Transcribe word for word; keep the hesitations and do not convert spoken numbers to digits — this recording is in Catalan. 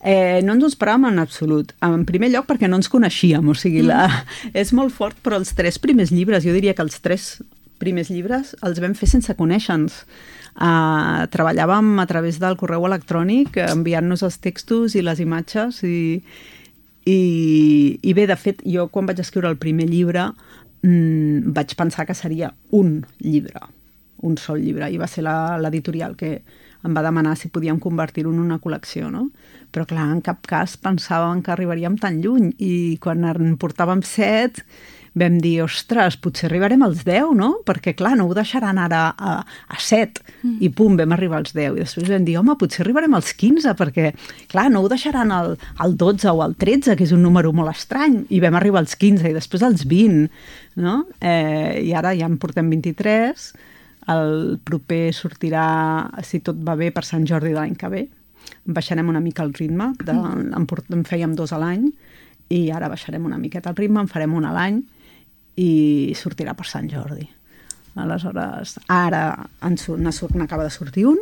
Eh, no ens ho esperàvem en absolut. En primer lloc perquè no ens coneixíem, o sigui, la... mm. és molt fort, però els tres primers llibres, jo diria que els tres primers llibres els vam fer sense conèixer-nos. Uh, treballàvem a través del correu electrònic, enviant-nos els textos i les imatges, i, i, i bé, de fet, jo quan vaig escriure el primer llibre mmm, vaig pensar que seria un llibre, un sol llibre, i va ser l'editorial que em va demanar si podíem convertir-ho en una col·lecció, no? Però clar, en cap cas pensàvem que arribaríem tan lluny, i quan en portàvem set vam dir, ostres, potser arribarem als deu, no? Perquè clar, no ho deixaran ara a, a set, mm. i pum, vam arribar als deu, i després vam dir, home, potser arribarem als quinze, perquè clar, no ho deixaran al, al dotze o al tretze, que és un número molt estrany, i vam arribar als quinze, i després als vint, no? Eh, i ara ja en portem vint-i-tres. El proper sortirà, si tot va bé, per Sant Jordi de l'any que ve. Baixarem una mica el ritme, de, en, en fèiem dos a l'any, i ara baixarem una miqueta el ritme, en farem un a l'any, i sortirà per Sant Jordi. Aleshores, ara n'acaba de sortir un,